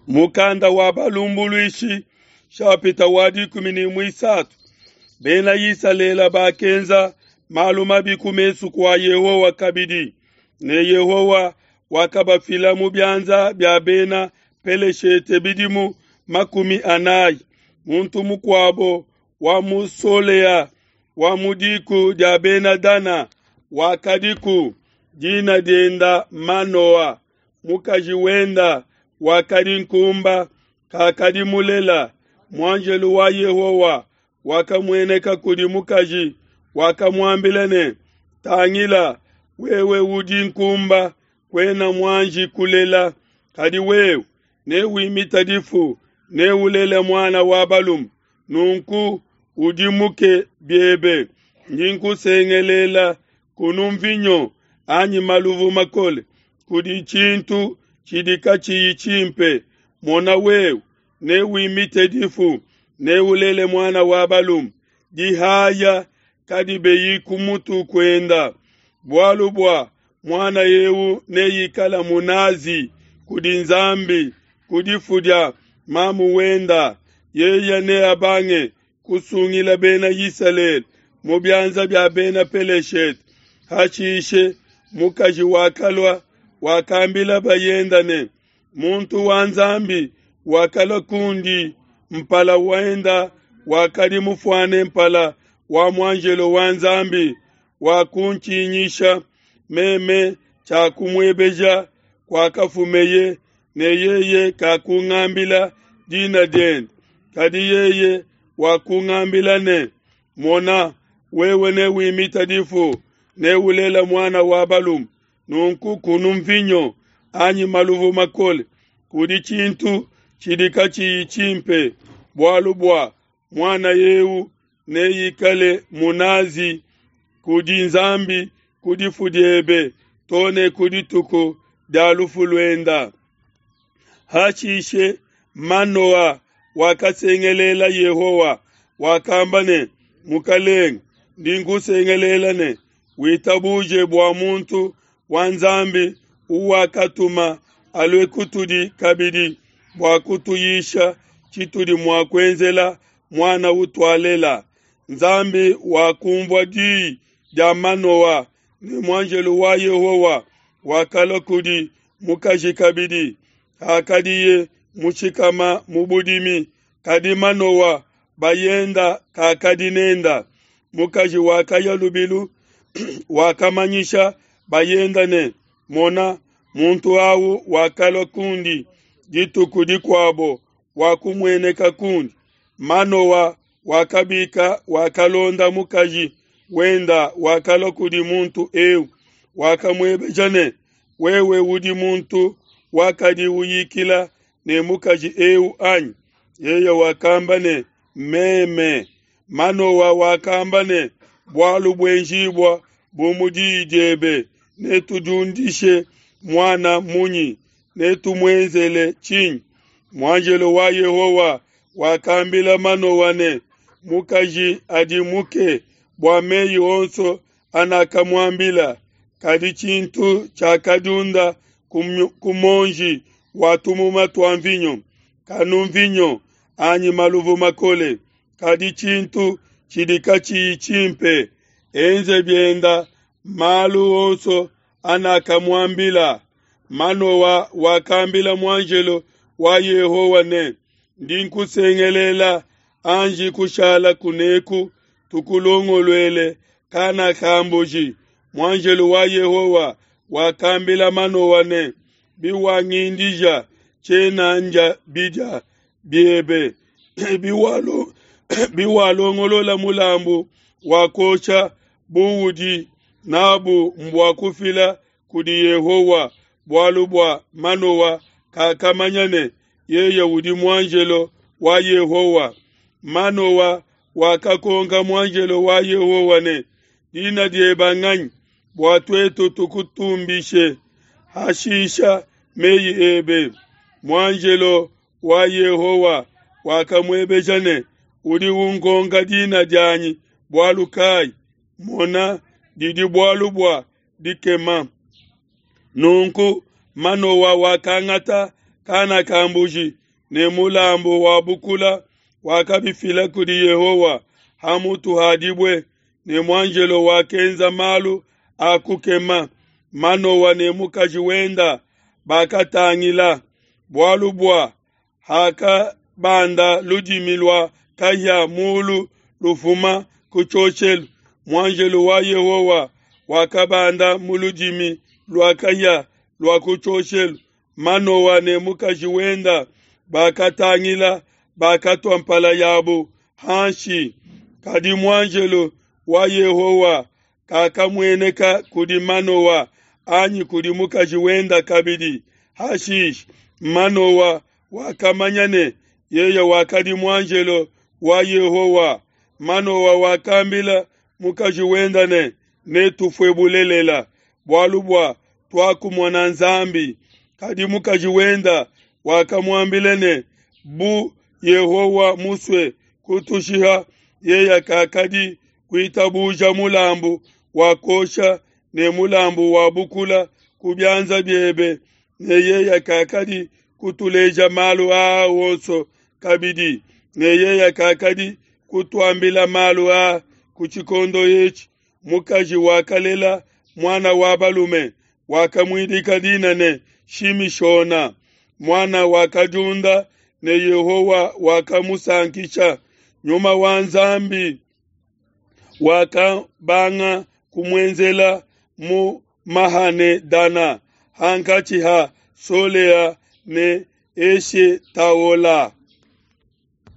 Mukanda wa Balumbuluishi, shapita wa 13. Bena Isalele bakenza malu mabi ku mesu kua Yehowa kabidi, ne Yehowa wakabafila mu bianza bia bena Peleshete bidimu 40. Muntu mukuabo wa mu Solea wa mu diku dia bena Dana wakadiku, dina dienda Manoa. Mukaji wenda wakadi nkumba, kakadi mulela. Muanjelu wa Yehowa wakamueneka kudi mukaji, wakamuambila ne, Tangila, wewe udi nkumba, kuena muanji kulela, kadi wewe newimite difu, neulele muana wa balume. Nunku udimuke biebe, ndi nkusengelela kunu mvinyo anyi maluvu makole, kudi tshintu tshidi katshiyi tshimpe. Mona, wewe newimite difu, neulele muana wa balume. Dihaya kadibeyi ku mutu kuenda, bualu bua muana eu neikala munazi kudi Nzambi ku difu dia mamu wenda. Yeye neabange kusungila bena Isalele mu bianza bia bena Peleshete. Hashishe mukaji wakalua, wakambila bayenda ne, Muntu wa Nzambi wakalua kundi, mpala wenda wakadi mufuane mpala wa muanjelo wa Nzambi, wakuntshinyisha. Meme tshiakumuebeja kuakafumeye, ne yeye kakungambila dina diende. Kadi yeye wakungambila ne, Mona, wewe newimite difu, neulela muana wa balume. Nunku kunu mvinyo anyi maluvu makole, kudi tshintu tshidi katshiyi tshimpe, bualu bua muana eu neikale munazi kudi Nzambi ku difu diebe to ne ku dituku dia lufu luenda. Hashishe Manoa wakasengelela Yehowa, wakamba ne, Mukalenge, ndi nkusengelela ne, witabuje bua muntu wa Nzambi uwakatuma alue kutudi kabidi bua kutuyisha tshitudi mua kuenzela muana utualela. Nzambi wakumvua diyi dia Manoa, ne muanjelu wa Yehowa wakalua kudi mukaji kabidi hakadiye mushikama mu budimi, kadi Manoa bayenda kakadi nenda. Mukaji wakaya lubilu wakamanyisha bayenda ne, Mona, muntu au wakalua kundi dituku dikuabo, wakumueneka kundi. Manoa wakabika, wakalonda mukaji wenda, wakalua kudi muntu eu, wakamuebeja ne, Wewe udi muntu wakadi uyikila ne mukaji eu anyi? Yeye wakamba ne, Meme. Manoa wakamba ne, Bualu buenjibua bu mu diyi diebe, netudiundishe muana munyi? Netumuenzele tshinyi? Muanjelo wa Yehowa wakambila Manoa ne, Mukaji adimuke bua meyi onso anakamuambila, kadi tshintu tshiakadiunda ku muonji wa tumuma tua mvinyo, kanu mvinyo anyi maluvu makole, kadi tshintu tshidi katshiyi tshimpe. Enze bienda malu onso anakamuambila. Manoa wakambila muanjelo wa Yehowa ne, Ndi nkusengelela, anji kushala kuneku, tukulongoluele kana ka mbuji. Muanjelo wa Yehowa wakambila Manoa ne, Biwangindija, tshiena ndia bidia biebe. Biwalongolola mulambu wa kuosha buudi nabu mbua kufila kudi Yehowa, bualu bua Manoa kakamanya ne, yeye udi muanjelo wa Yehowa. Manoa wakakonka muanjelo wa Yehowa ne, Dina diebe nganyi, bua tuetu tukutumbishe? Hashisha meyi ebe. Muanjelo wa Yehowa wakamuebeja ne, Udi unkonka dina dianyi bualu kayi? Mona, didi bualu bua dikema. Nunku Manoa wakangata kana ka mbuji ne mulambu wa bukula, wakabifila kudi Yehowa ha mutu ha dibue, ne muanjelo wakenza malu a kukema. Manoa ne mukaji wenda bakatangila, bualu bua hakabanda ludimi lua kahia mulu lufuma ku tshioshelu, muanjelo wa Yehowa wakabanda mu ludimi lua kahia lua ku tshioshelu. Manoa ne mukaji wenda bakatangila, bakatua mpala yabo hanshi. Kadi muanjelo wa Yehowa kakamueneka kudi Manoa anyi kudi mukaji wenda kabidi. Hashishe Manoa wakamanya ne, Yeye wakadi muanjelo wa Yehowa. Manoa wakambila mukaji wenda ne, Netufue bulelela, bualu bua tuakumona Nzambi. Kadi mukaji wenda wakamuambila ne, Bu Yehowa musue kutushiha, yeye kakadi kuitabuja mulambu wa kuosha ne mulambu wa bukula ku bianza biebe, ne yeye kakadi kutuleja malu aa onso kabidi, ne yeye kakadi kutuambila malu aa ku tshikondo etshi. Mukaji wakalela muana wa balume, wakamuidika dina ne, Shimishona. Muana wakadiunda ne Yehowa wakamusankisha. Nyuma wa Nzambi wakabanga kumuenzela mu Mahane-Dana, hankatshi ha Solea ne Eshetaola.